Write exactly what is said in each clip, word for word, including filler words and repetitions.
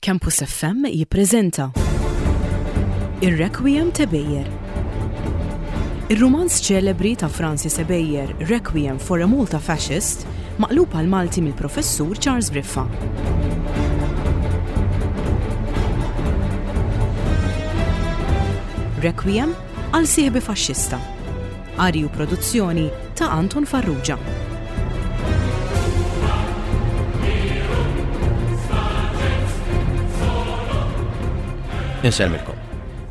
Campus F M jippreżenta Ir-Requiem t'Ebejer. Ir-rumanz ċelebri ta' Francis Ebejer, Requiem for a Malta Fascist, maqlub għal Malti mill-Professur Charles Briffa. Requiem għal sieħbi faxxista. Qari u produzzjoni ta' Anton Farrugia. Insellmilkom.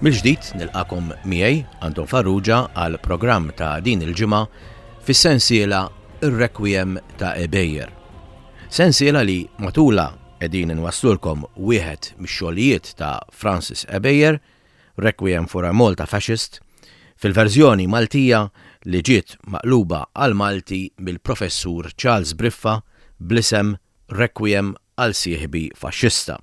Mill-ġdid nilqakom miegħi, Anton Farrugia, għal programm ta' din il-ġimgħa fis-sensiela Ir-Requiem ta' Ebejer. Sensiela li matula qegħdin inwasslulkom wieħed mix-xogħlijiet ta' Francis Ebejer, Requiem for a Malta Fascist, fil-verżjoni Maltija li ġiet maqluba għal Malti mill-Professur Charles Briffa bl-isem Requiem għal sieħbi faxxista.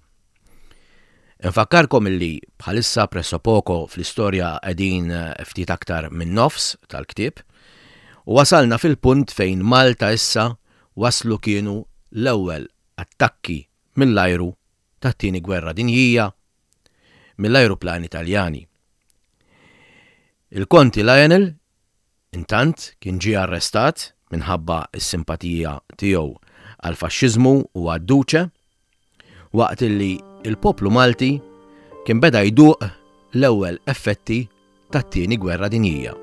Infakkarkom illi bħalissa pressapoko fl-istorja qegħdin ftit aktar minn nofs tal-ktieb u wasalna fil-punt fejn Malta issa waslu kienu l-ewwel attakki mill-ajru tat-tieni gwerra dinjija mill-ajruplani Taljani. Il-Konti Lionel intant kien ġie arrestat minħabba s-simpatija tiegħu għall-faxxiżmu u għad-Duce, waqt illi il-poplu Malti kien beda jduq l-ewwel effetti tat-tieni gwerra dinjija.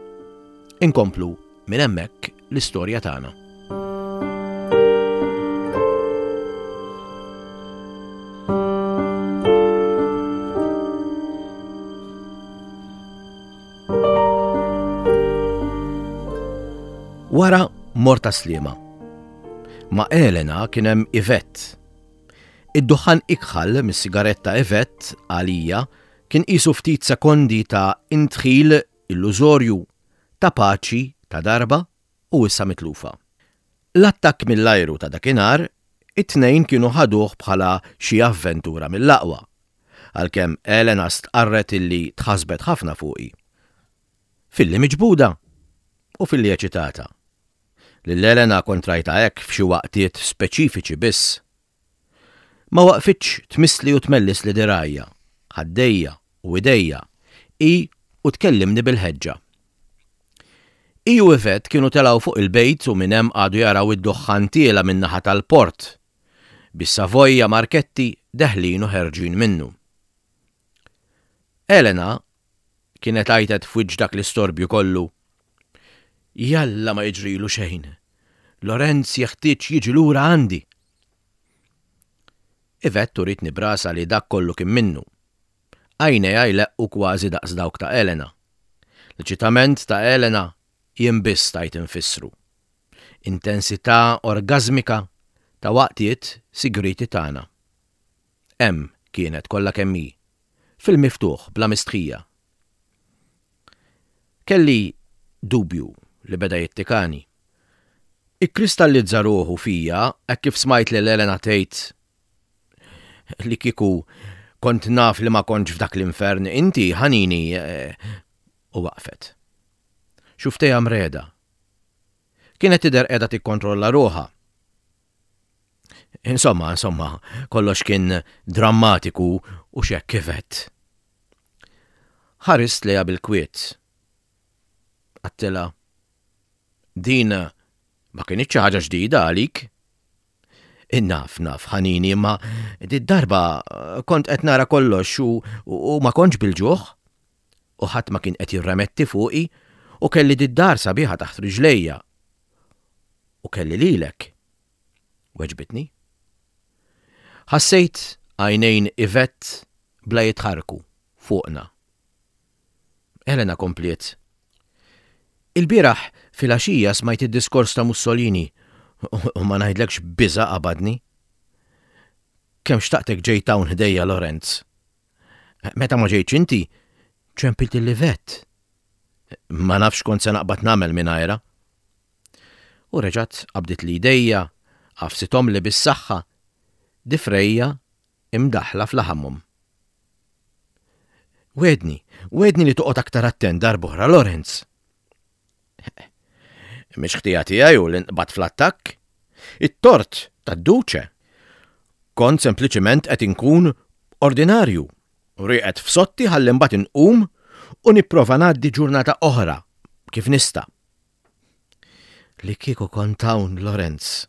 Inkomplu minn hemmhekk l-istorja tagħna. Wara mort Tas-Sliema. Ma' Elena kien hemm Yvette. Id-duħħan ikħal mis-sigaretta Yvette għalija kien qisu ftit sekondi ta' intħil illużorju ta' paċi ta' darba u issa mitlufa. L-attakk mill-ajru ta' dakinhar it-tnejn kienu ħaduh bħala xi avventura mill-aqwa, għalkemm Elena stqarret illi tħasbet ħafna fuqi. Filli miġbuda u filli eċitata. Lil Elena kont rajtha hekk f'xi waqtiet speċifiċi biss. Ma waqfitx tmissli u tmellis li dirajja, ħaddejja u idejja, i u tkellimni bil-ħeġġa. I u Yvette kienu telgħu fuq il-bejt u minn hemm qagħdu jaraw id-duħħan tiela min-naħa tal-port, bis-Savoja Marchetti deħlin u ħerġin minnu. Elena kienet għajtet f'wiċċ dak l-istorbju kollu. Jalla ma jiġrilu xejn. Lorenz jeħtieġ jiġi lura għandi. Yvette uritni brasa li dak kollu kien minnu. Għajnejha jleqqu kważi daqs dawk ta' Elena. L-eċitament ta' Elena jien biss stajt infissru. Intensità orgasmika ta' waqtiet sigriti tagħna. Hemm kienet kollha kemm hi, fil-miftuħ bla mistħija. Kelli dubju li beda jittikani. Ikkristallizza ruħu fija hekk kif smajt lil Elena tgħid li kieku kont naf li ma kontx f'dak l-infern, inti ħanini, eh, u waqfet. Xuftejha mreda. Kienet tidher qiegħda tikkontrolla ruħha. Insomma, insomma, kollox kien drammatiku u xekk kifet. Ħarist lejha bil-kwiet. Għattila, din ma kienx xi ħaġa ġdida għalik. Innaf, naf, ħanini, imma di darba kont qed nara kollox u, u ma kontx bil-ġuħ. U ħadd ma kien qed jirremetti fuqi u kelli did-dar sabiħa taħt riġlejja. U kelli lilek. Weġbitni. Ħassejt għajnejn Yvette bla jitħarku fuqna. Elena kompliet. Il-bieraħ fil-għaxija smajt id-diskors ta' Mussolini u ma ngħidlekx biża' qabadni. Kemm xtaqtek ġejt hawn ħdejja, Lorenz. Meta ma ġejtx inti, ċempilt il-Yvette. Ma nafx kont se naqbad nagħmel mingħajrha. U reġgħet qabdit li jdejja, għafsithom li bis-saħħa, difrejja imdaħla fl-ħammum. Wedni, wedni li toqgħod aktar attent darb'oħra, Lorenz. Mhix ħtija tiegħi u li nqbad fl-attakk. It-tort tad-Duce. Kont sempliċement qed inkun Ordinarju, rieqed f'soddti ħalli mbagħad inqum u nipprova ngħaddi ġurnata oħra kif nista'. Li kieku kont hawn, Lorenz,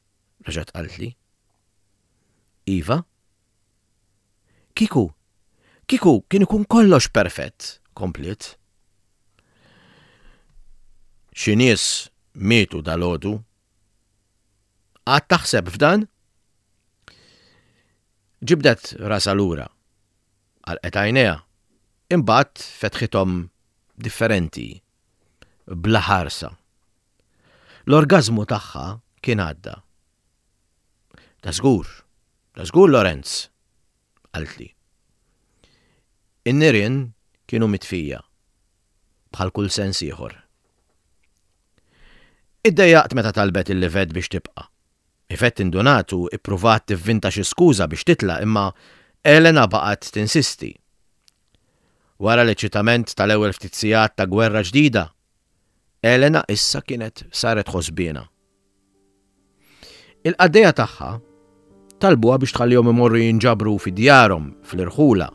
reġgħet qaltli. Iva? Kieku, kieku kien ikun kollox perfett, kompliet. Xi nies mietu dalgħodu. Għad taħseb f'dan? Ġibdet rasha lura. Għalqet għajnejha. Imbagħad fetħithom differenti, bla ħarsa. L-orgazmu tagħha kien għadda. Ta' żgur, ta' żgur Lorenz, qaltli. In-nirien kienu mitfija, bħal kull sens ieħor. Iddejjaqt meta talbet lil Yvette biex tibqa'. Yvette indunat u ippruvat tivvinta xi skuża biex titla' imma Elena baqgħet tinsisti. Wara l-eċitament tal-ewwel ftit sigħat ta' gwerra ġdida, Elena issa kienet saret ħosbina. Il-qaddejja tagħha talbuha biex tħallihom imorru jinġabru fi djarhom fl-irħula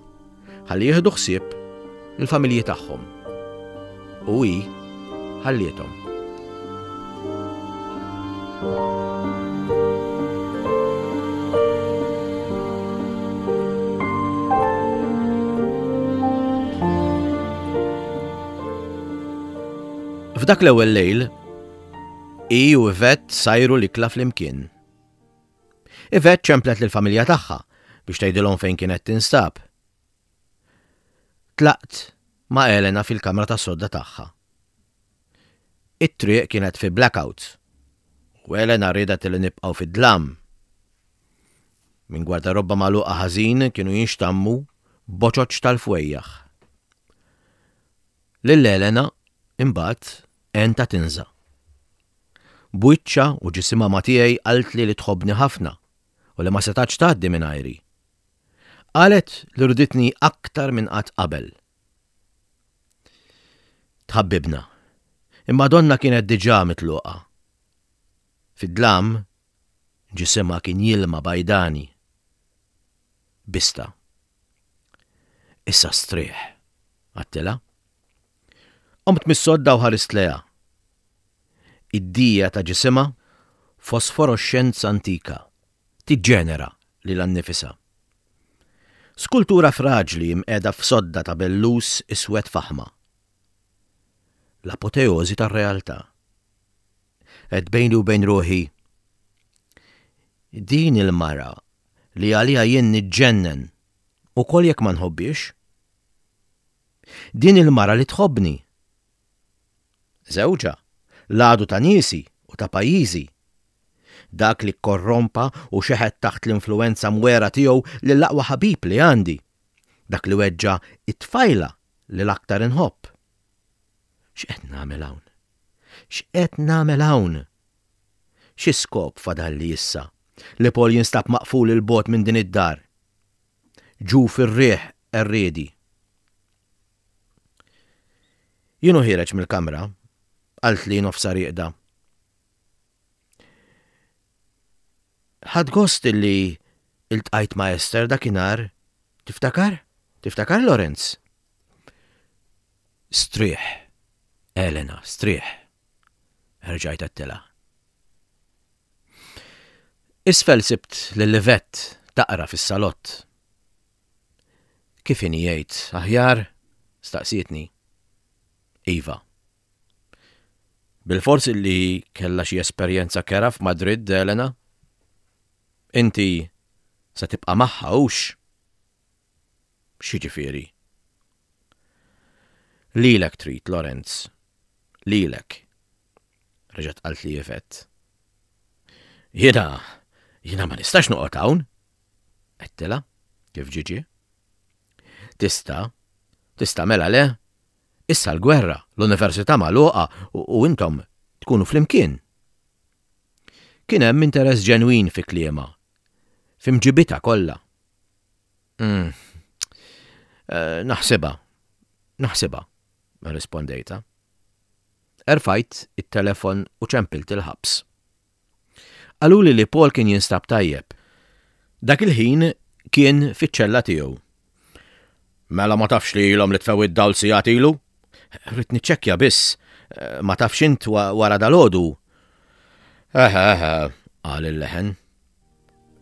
ħalli jieħdu ħsieb il-familji tagħhom. U hi ħalliethom. F'dak l-ewwel lejl, hi u Yvette sajru l-ikla flimkien. Yvette ċemplet lill-familja tagħha biex tgħidilhom fejn kienet tinstab. Tlaqt ma' Elena fil-kamra tas-sodda tagħha. It-triq kienet fi blackout u Elena riedet li nibqgħu fid-dlam. Minn gwardarobba magħluqa ħażin kienu jinxtammu boċoċ tal-fwejjaħ. Lil Elena imbagħad għentha tinża'. B'wiċċha u ġisimha ma' tiegħi qaltli li tħobbni ħafna u li ma setax tgħaddi mingħajri. Qalet li riditni aktar minn qatt qabel. Tħabbibna, imma donna kienet diġà mitluqa. Fid-dlam, ġisimha kien jilma bajdani. Bista. Issa strieħ, għedtilha. Qomt mis-sodda u ħarist lejha. Id-dija ta' ġisimha fosforoxxenza antika, tiġġenera lilha nnifisha. Skultura fraġli mqiegħda f'sodda ta' bellus iswed faħma. L-apoteożi tar-realtà. Għedt bejni u bejn ruħi, din il-mara li għalija jien niġġennen ukoll jekk ma nħobbix. Din il-mara li tħobbni. Żewġha, l-għadu ta' niesi u ta' pajjiżi. Dak li korrompa u xeħet taħt l-influenza mwera tiegħu lill-aqwa ħabib li għandi. Dak li weġġa' it-tfajla li l-aktar inħobb. X'qed nagħmel hawn? X'qed nagħmel hawn? Xi skop fadalli issa li Paul jinstab maqful 'il bogħod minn din id-dar? Ġu fir-riħ qerriedi. Jien u ħiereġ mill-kamra, qaltli nofsha rieqda. Ħadt gost illi iltqajt ma' Esther dakinhar. Tiftakar? Tiftakar, Lorenz? Strieħ, Elena, strieħ. Erġajt għedtilha. Isfel sibt lil Yvette taqra fis-salott. Kif inhi jgħid, aħjar? Staqsietni. Iva. Bilfors illi kellha xi esperjenza kera f'Madrid, Elena? Inti se tibqa' magħha hux? X'jiġifieri? Lilek trid, Lorenz. Lilek. Reġgħet qaltli Yvette. Jiena, jiena ma nistax noqgħod hawn. Għedtilha, kif ġie ġie. Tista', tista' mela le. Issa l-gwerra, l-università magħluqa u intom tkunu flimkien. Kien hemm interess ġenwin fi kliemha, fi mġibitha kollha. Mm. Eh, naħsibha, naħsibha, rispondejta. Erfajt it-telefon u ċempilt il-ħabs. Qaluli li Paul kien jinstab tajjeb. Dak il-ħin kien fiċ-ċella tiegħu. Mela ma tafx li ilhom li tfew id-dawl sigħat ilu? Rrid niċċekkja biss, ma tafx int wara dalgħodu. Eħe, eħe, qal il-leħen.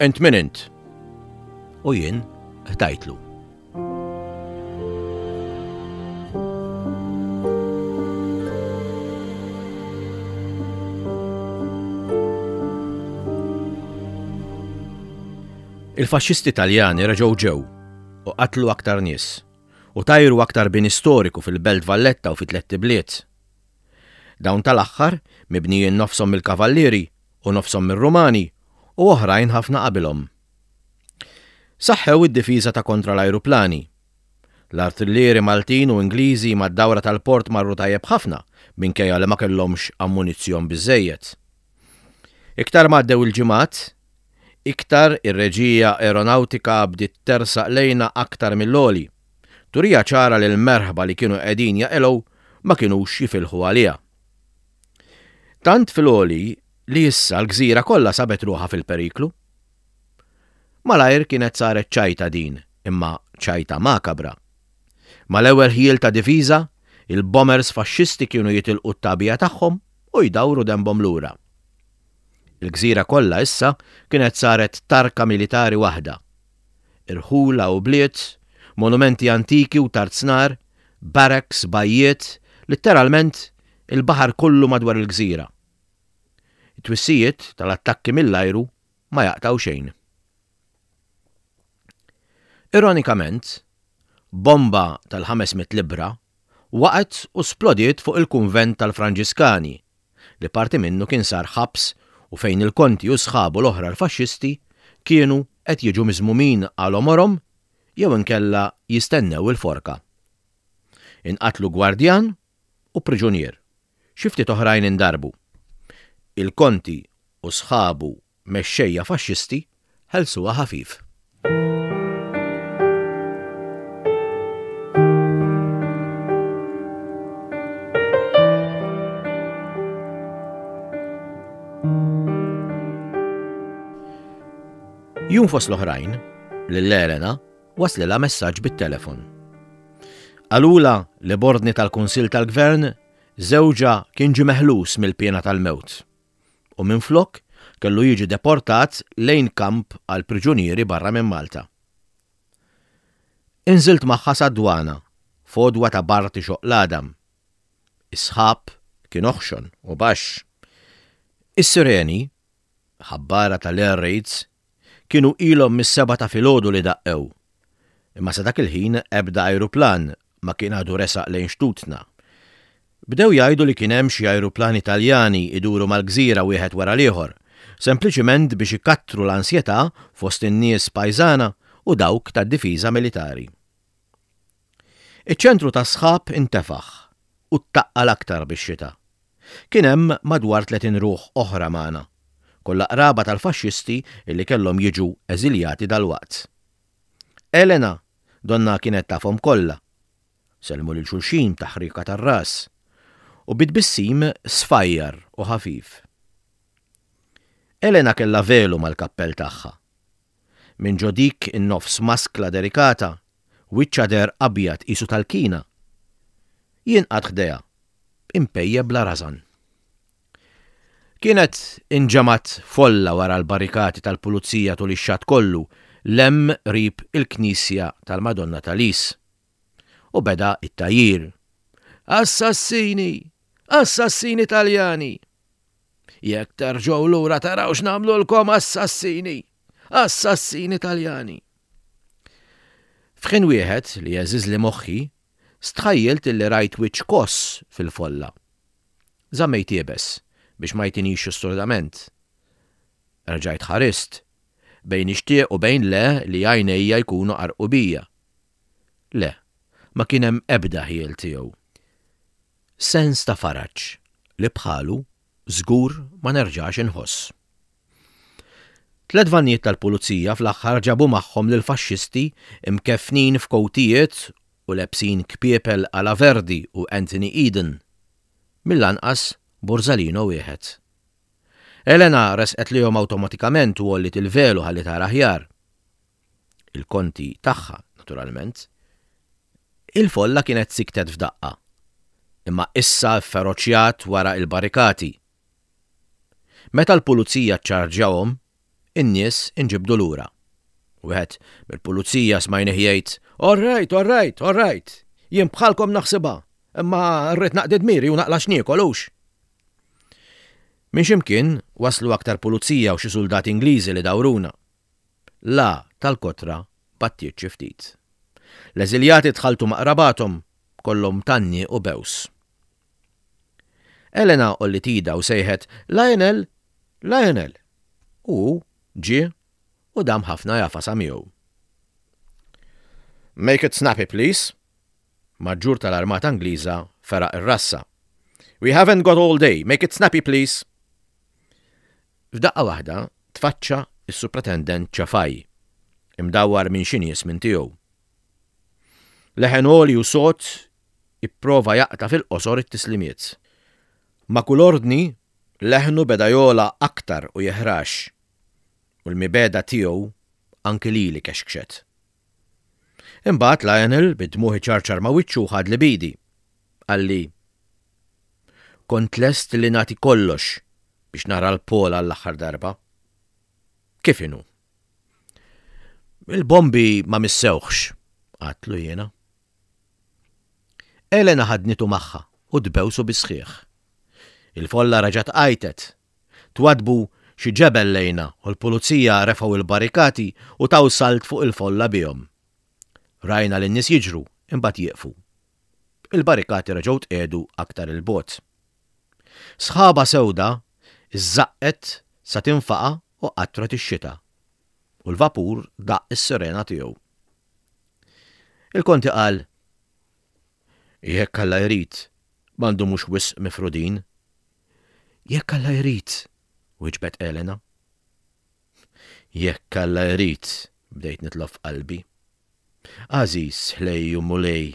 Int min int? U jien ħdajtlu. Il-faxxisti Taljani reġgħu ġew u qatlu aktar nies u tajru aktar bini storiku fil-Belt Valletta u fi tlett ibliet. Dawn tal-aħħar mibnijin nofshom mill-Kavallieri u nofshom mir-Rumani u oħrajn ħafna qabilhom. Saħħew id-difiża ta' kontra l-ajruplani. L-artillieri Maltin u Ingliżi mad-dawra tal-port marru tajjeb ħafna minkejja li ma kellhomx ammunizzjon biżżejjed. Iktar ma għaddew il-ġimgħat, iktar ir-reġija aeronawtika bdiet tersaq lejna aktar mill-għoli. Turija ċara li l-merħba li kienu qegħdin jaqilgħu ma kinux jifilħu għaliha. Tant fil-għoli li issa l-gżira kollha sabet ruħha fil-periklu. Malajr kienet saret ċajta din, imma ċajta makabra. Mal-ewwel ħjiel ta' difiża, il-bombers faxxisti kienu jitilqu t-tagħbija tagħhom u jdawru dembhom lura. Il-gżira kollha issa kienet saret tarka militari waħda. Irħula u bliet, monumenti antiki u tarznar, barracks, bajjiet, litteralment il-baħar kollu madwar il-gżira. It-twissijiet tal-attakki mill-ajru ma jaqtaw xejn. Ironikament, bomba tal-ħames mitt libra waqgħet u splodiet fuq il-kunvent tal-Franġiskani, li parti minnu kien sar ħabs u fejn il-konti u sħabu l-oħra l-faxxisti kienu qed jiġu miżmumin għal għomorhom jew inkella jistennew il-forka. Inqatlu gwardjan u priġunier, xi ftit oħrajn indarbu. Il-konti u sħabu mexxejja faxxisti ħelsuha ħafif. Jum fost l-oħrajn, lil Elena waslilha messaġġ bit-telefon. Qalula li b'ordni tal-Kunsill tal-Gvern żewġha kien ġie meħlus mill-pjena tal-mewt u minflok kellu jiġi deportat lejn kamp għal priġunieri barra minn Malta. Inżilt magħha sad-dwana, fodwa ta' Barti xoq l-għadam. Is-sħab kien oħxon u baxx. Is-sireni, ħabbara tal-air raids, kienu ilhom mis-seba ta' filgħodu li daqqew. Imma sa dak il-ħin ebda ajruplan ma kien għadu resaq lejn xtutna. Bdew jgħidu li kien hemm xi ajruplani Italjani iduru mal-gżira wieħed wara l-ieħor, sempliċiment biex ikattru l-ansjetà fost in-nies pajżana u dawk tad-difiża militari. Iċ-ċentru tas-sħab intefaħ u ttaqqal aktar bix-xita. Kien hemm madwar tletin ruħ oħra magħna, kollha qraba tal-faxxisti illi kellhom jiġu eżiljati dalwaqt. Elena donna kienet tafhom kollha. Sellmu lil xulxin taħrika tar-ras u bitbissim sfajjar u ħafif. Elena kellha velu mal-kappell tagħha. Minn ġo dik in-nofs maskla delikata, wiċċha der abjad qisu tal-kina. Jien qatt ħdejha, impejje bla rażan. Kienet inġemat folla wara l-barrikati tal-pulizija tul ix-xatt kollu lem rib il-knisja tal-Madonna tal-Is. U beda it-tajjir. Assassini! Assassini Taljani! Jekk terġgħu lura taraw x'nagħmlulkom assassini! Assassini Taljani! F'ħin wieħed li jeżiż li moħħi, stħajjilt illi rajt wiċċ koss fil-folla. Żammejt iebes biex ma jtinix sturdament. Erġajt ħarist, bejn ixtieq u bejn le li għajnejja jkunu qarqu bija. Le, ma kien hemm ebda ħiel tiegħu. Sens ta' faraġ li bħalu żgur ma nerġax inħoss. Tliet vannijiet tal-pulizija fl-aħħar ġabu magħhom lil faxxisti imkeffnin f'kowtijiet u lebsin kpiepel ala Verdi u Anthony Eden. Mill-anqas Borzalino wieħed. Elena resqet lihom awtomatikament u għolliet il-velu ħalli tara aħjar. Il-konti tagħha, naturalment. Il-folla kienet siktet f'daqqa, imma issa feroċjat wara il-barrikati. Meta l-pulizija ċarġjawhom, in-nies inġibdu lura. Wieħed mill-pulizija smajnih jgħid, "All right, all right, all right, jien bħalkom naħsibha, imma rrid naqdi dmiri u naqla' x'niekol hux." Minn ximkien waslu aktar pulizija u xi soldati Ingliżi li dawruna. La tal-kotra battiet xi ftit. L-eżiljati tħalltu ma' qrabathom kollhom tgħanniq u bews. Elena għolliet idha u sejħet Lionel, Lionel. U ġie u dam ħafna jagħfasha miegħu. Make it snappy, please. Maġġur tal-Armata Ingliża feraq ir-rassa. We haven't got all day. Make it snappy, please. F'daqqa waħda tfaċċa is-Supretendent Ċafaj, imdawwar minn xi nies minn tiegħu. Leħen għoli u sod ipprova jaqta' fil-qosor it-tislimiet. Ma' kull ordni, leħnu beda jogħla aktar u jeħrax, u l-mibegħda tiegħu anki lili kexkxet. Imbagħad Lionel bid-dmugħ iċarċar ma' wiċċu ħadli b'idi. Qalli, kont lest li nagħti kollox biex nara 'l Paul għall-aħħar darba. Kif inhu? Il-bombi ma missewhx, għedtlu jiena. Elena ħadnitu magħha u tbewsu bis-sħiħ. Il-folla reġgħet għajtet. Twadbu xi ġebel lejna u l-pulizija refgħu il-barrikati u taw salt fuq il-folla bihom. Rajna lin-nies jiġru imbagħad jieqfu. Il-barrikati reġgħu tqiegħdu aktar 'il bogħod. Sħaba sewda iżżaqqet sa tinfaqa' u qatret ix-xita. U l-vapur daqq is-sirena tiegħu. Il-konti qal, jekk Alla jrid, ma ndumux wisq mifrudin. Jekk Alla jrid, wieġbet Elena. Jekk Alla jrid, bdejt nitlob f'qalbi. Għażiż ħlejju Mulej,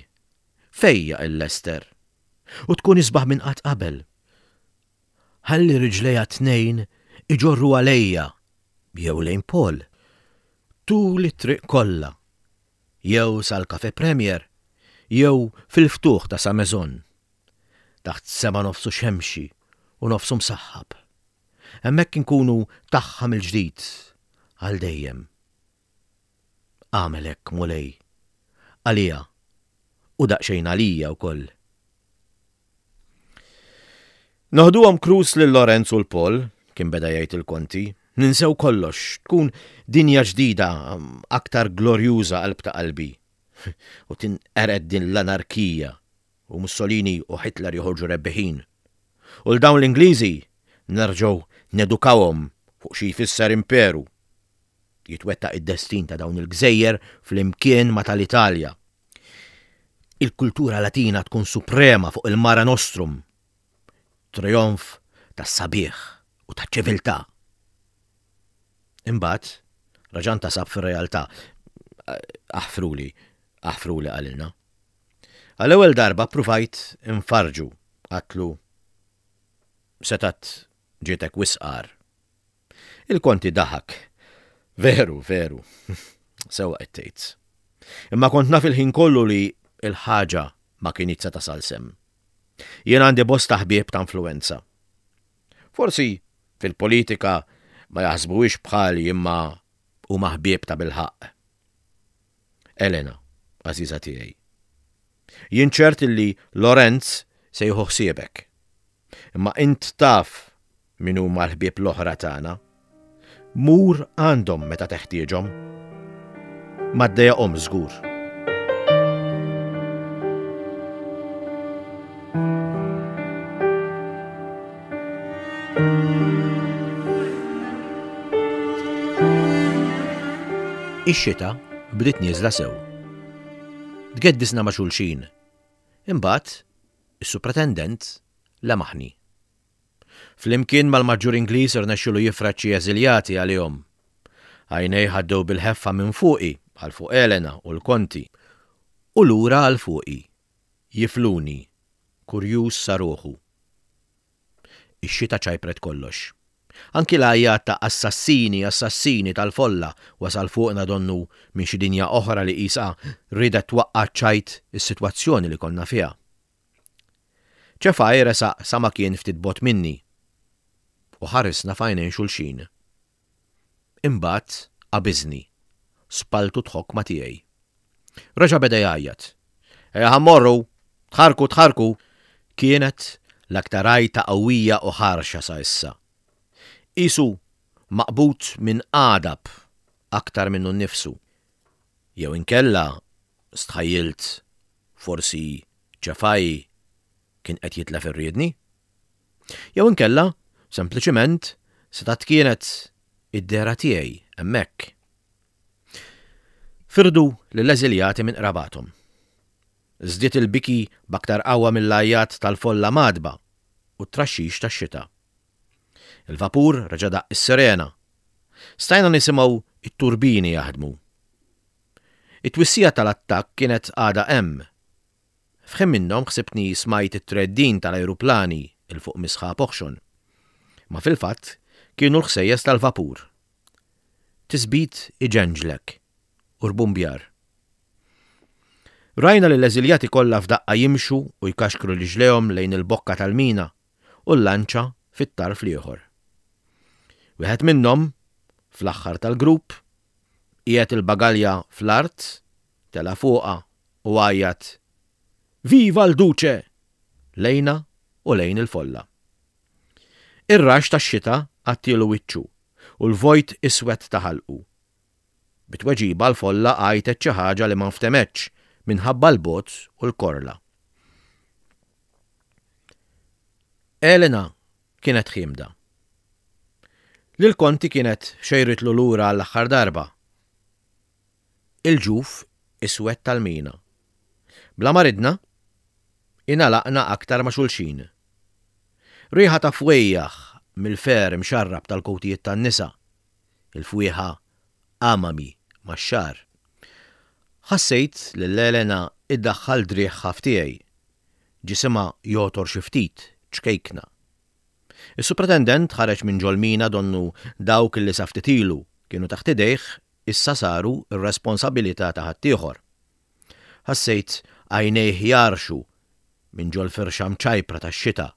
fejjaq 'il Lester, u tkun isbaħ minn qatt qabel. Ħalli riġlejha t-tnejn iġorruha lejja, jew lejn Paul. Tul it-triq kollha, jew sal-Cafe Premier, jew fil-ftuħ ta' Sa Maison. Taħt sema nofsu xemxi u nofsu msaħħab. Hemmhekk inkunu tagħha mill-ġdid għal dejjem. Agħmel hekk Mulej, għalija u daqsxejn għalija wkoll. Noħduhom cruise lil Lorenz u l-Paul, kien beda jgħid il-konti, ninsew kollox, tkun dinja ġdida, aktar glorjuża qalb ta' qalbi. U tinqered din l-anarkija u Mussolini u Hitler joħorġu rebbiħin. U 'l dawn l-Ingliżi nerġgħu nedukawhom fuq xi jfisser imperu. Jitwettaq id-destin ta' dawn il-gżejjer flimkien ma' tal-Italja. Il-kultura Latina tkun suprema fuq il-Mare Nostrum. Trionf tas-sabiħ u taċ-ċiviltà. Imbagħad raġa' ntasab fir-realtà. Aħfruli, aħfruli qalilna. Għall-ewwel darba ppruvajt infarrġu, għedtlu setgħet ġietek wisq agħar. Il-konti daħak. Veru, veru. Sewwa qed tgħid. Imma kont naf il-ħin kollu li il-ħaġa ma kinitx se tasal s'hemm. Jien għandi bosta ħbieb ta' influenza. Forsi fil-politika ma jaħsbuhiex bħali imma huma ħbieb ta' bilħaqq. Elena, għażiża tiegħi. Jien ċert li Lorenz se jieħu ħsiebek. Imma int taf min huma l-ħbieb l-oħra tagħna. Mur għandhom meta teħtieġhom. Ma ddejjaqhomx żgur. Ix-xita bdiet nieżla sew. Tgeddisna ma' xulxin. Imbagħad is-supretendent lemaħni. Flimkien mal-maġġur Ingliż irnexxielu jifred xi eżiljati għalihom. Għajnejh għaddew bil-ħeffa minn fuqi għal fuq Elena u l-konti u lura għal fuqi. Jifluni, kurjuż sa ruħu. Ix-xita ċajpret kollox. Anki l-għajat ta' assassini, assassini tal-folla wasal fuqna donnu minn xi dinja oħra li qisha riedet twaqqa' ċajt is-sitwazzjoni li konna fiha. Ċefaj resaq sa ma kien ftit bogħod minni u ħarisna f'għajnejn xulxin. Imbagħad qabiżni, spalltu tħokk ma' tiegħi. Reġa' beda jgħajjat. Ejja ħa mmorru, tħarrku tħarrku. Kienet l-aktar għajta qawwija u ħarxa sa issa. Qisu maqbud minn għadab aktar minnu nnifsu. Jew inkella stħajjilt forsi Ċefaj kien qed jitlef ir-riedni. Jew inkella sempliċiment setgħet kienet id-dehra tiegħi hemmhekk. Firdu lill-eżiljati minn qrabathom. Żdied il-biki b'aktar qawwa mill-għajat tal-folla mgħaddba u t-traxxix tax-xita. Il-vapur reġa' daqq is-sirena. Stajna nisimgħu it-turbini jaħdmu. It-twissija tal-attakk kienet għadha hemm. F'ħin minnhom ħsibtni smajt it-treddin tal-ajruplani 'l fuq mis-sħab oħxon. Ma fil-fatt kienu l-ħsejjes tal-vapur. Tisbit iġenġlek u rbumbjar. Rajna li l-eżiljati kollha f'daqqa jimxu u jkaxkru riġlejhom lejn il-bokka tal-mina u l-lanċa fit-tarf l-ieħor. Wieħed minnhom, fl-aħħar tal-grupp, qiegħed il-bagalja fl-art, tela' fuqha u għajjat Viva l-Duce! Lejna u lejn il-folla. Ir-raxx tax-xita għattielu wiċċu u l-vojt iswed ta' ħalqu. Bi tweġiba l-folla għajtet xi ħaġa li ma nftemetx minħabba l-bogħod u l-korla. Elena kienet ħiemda. Lil Konti kienet xejritlu lura għall-aħħar darba. Il-ġuf iswed tal-mina. Bla ma ridna, ingħalaqna aktar ma' xulxin. Riħa ta' fwejjaħ mill-fer imxarrab tal-kowtijiet tan-nisa, il-fwieħa amami max-xagħar. Ħassejt lil Elena iddaħħal driegħha f'tiegħi. Ġisimha jogħtor xi ftit, ċkejkna. Is-supretendent ħareġ minn ġol-mina donnu dawk li sa ftit ilu kienu taħt idejh issa saru r-responsabilità ta' ħaddieħor. Ħassejt għajnejh jarxu minn ġol firxa mċajpra tax-xita,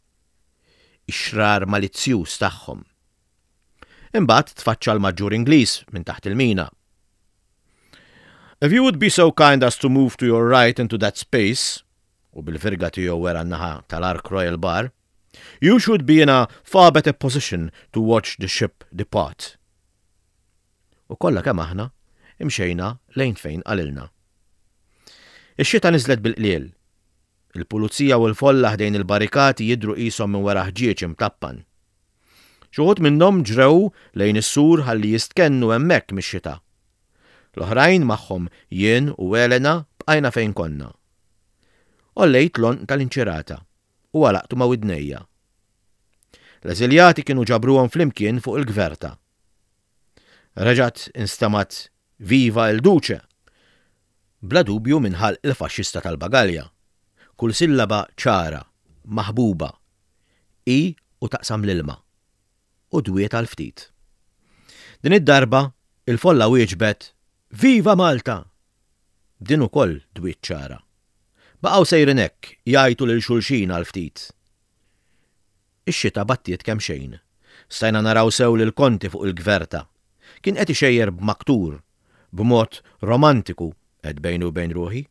ix-xrar malizzjuż tagħhom. Imbagħad tfaċċa l-maġġur Ingliż minn taħt il-mina. If you would be so kind as to move to your right into that space, u bil-virga tiegħu wera n-naħa tal-Ark Royal Bar, you should be in a far better position to watch the ship depart. U kollha kemm aħna imxejna lejn fejn qalilna. Ix-xita niżlet bil-qliel. Il-pulizija u l-folla ħdejn il-barrikati jidhru qishom minn wara ħġieġ imtappan. Xi wħud minnhom ġrew lejn is-sur ħalli jistkennu hemmhekk mix-xita. L-oħrajn magħhom jien u Elena bqajna fejn konna. Għollejt l-għonq tal-inċirata u għalaqtu ma' widnejja. L-eżiljati kienu ġabruhom flimkien fuq il-gverta. Reġgħet instemgħet Viva il Duce! Bla dubju minn ħalq il-faxxista tal-bagalja. Kull sillaba ċara, maħbuba, i u taqsam l-ilma. U dwiet għal ftit. Din id-darba il-folla wieġbet Viva Malta! Din ukoll dwiet ċara. Baqgħu sejrin hekk jgħajtu lil xulxin għal ftit. Ix-xita battiet kemm xejn. Stajna naraw sew lil Konti fuq il-gverta. Kien qed ixejjer b'maktur, b'mod romantiku qed bejni u bejn ruħi.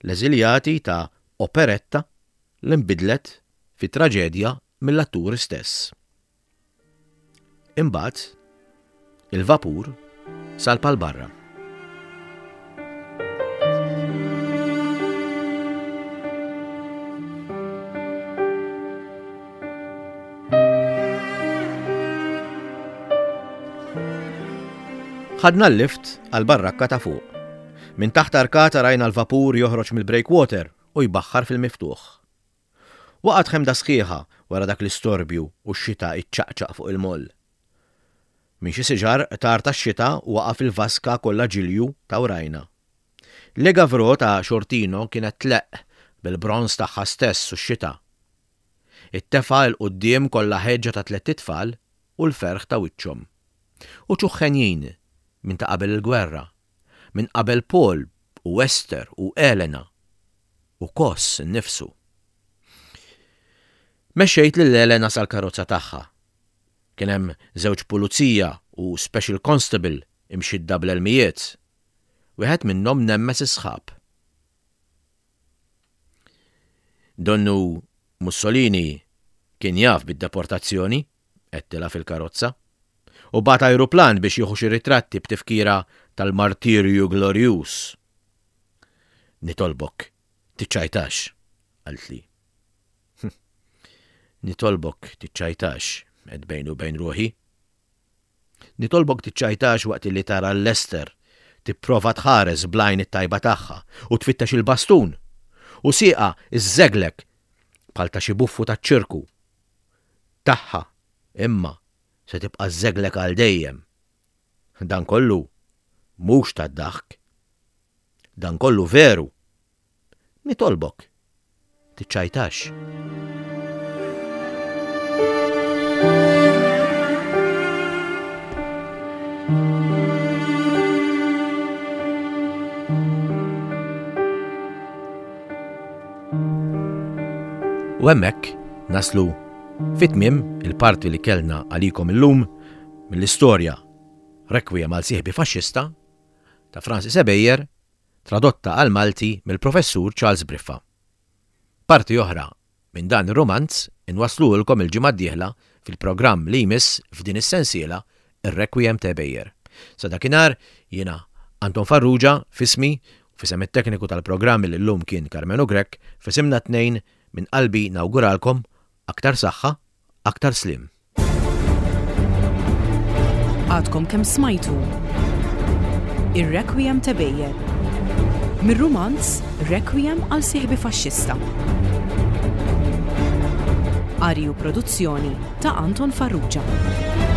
L-eżiljati ta' operetta li nbidlet fi traġedja mill-atturi stess. Imbagħad il-vapur salpa 'l barra. Ħadna l-lift għal barrakka ta' fuq. Minn taħt arkata rajna l-vapur joħroġ mill-breakwater u jbaħħar fil-miftuħ. Waqgħet ħemda sħiħa wara dak l-istorbju u x-xita iċċaqċaq fuq il-moll. Minn xi siġar qtar tax-xita waqa' fil-vaska kollha ġilju ta' warajna. Le Gavro ta' Xortino kienet tleqq bil-bronż tagħha stess u x-xita. It-tefa 'l quddiem kollha ħeġġa ta' tlett itfal u l-ferħ ta' wiċċhom. Uċuħ henjin minn ta' qabel il-gwerra, minn qabel Paul u Esther u Elena u Kos innifsu. Mexxejt lil Elena sal-karozza tagħha. Kien hemm żewġ pulizija u special constable imxidda bl-elmijiet. Wieħed minnhom nemmes is-sħab. Donnu Mussolini kien jaf bid-deportazzjoni, għedtilha fil-karozza, u bagħat ajruplan biex jieħu xi ritratti b'tifkira tal-martirju glorjuż. Nitolbok, tiċċajtax, qaltli. Nitolbok tiċċajtax, għedt bejni u bejn ruħi. Nitolbok tiċċajtax waqt li tara l-Lester tipprova tħares bl-għajn it-tajba tagħha u tfittex il-bastun u sieqha żżeglek bħal ta' xi buffu taċ-ċirku. Tagħha imma se tibqa' żżeglek għal dejjem. Dan kollu mhux tad-daħk. Dan kollu veru. Nitolbok tiċċajtax. U hemmhekk naslu fit-tmiem il-parti li kellna għalikom illum mill-istorja Requiem għal sieħbi faxxista ta' Francis Ebejer tradotta għal Malti mill-professur Charles Briffa. Parti oħra minn dan ir-romanz inwaslulkom il-ġimgħa d-dieħla fil-programm li jmiss f'din is-sensiela Ir-Requiem ta' Ebejer. Sa dakinhar jiena Anton Farrugia f'ismi u f'isem it-tekniku tal-programm li llum kien Karmenu Grech f'isimna tnejn minn qalbi nawguralkom aktar saħħa, aktar sliem. Għadkom kemm smajtu Ir-Requiem ta' Ebejer mir-rumanz Requiem għal sieħbi faxxista. Qari u produzzjoni ta' Anton Farrugia.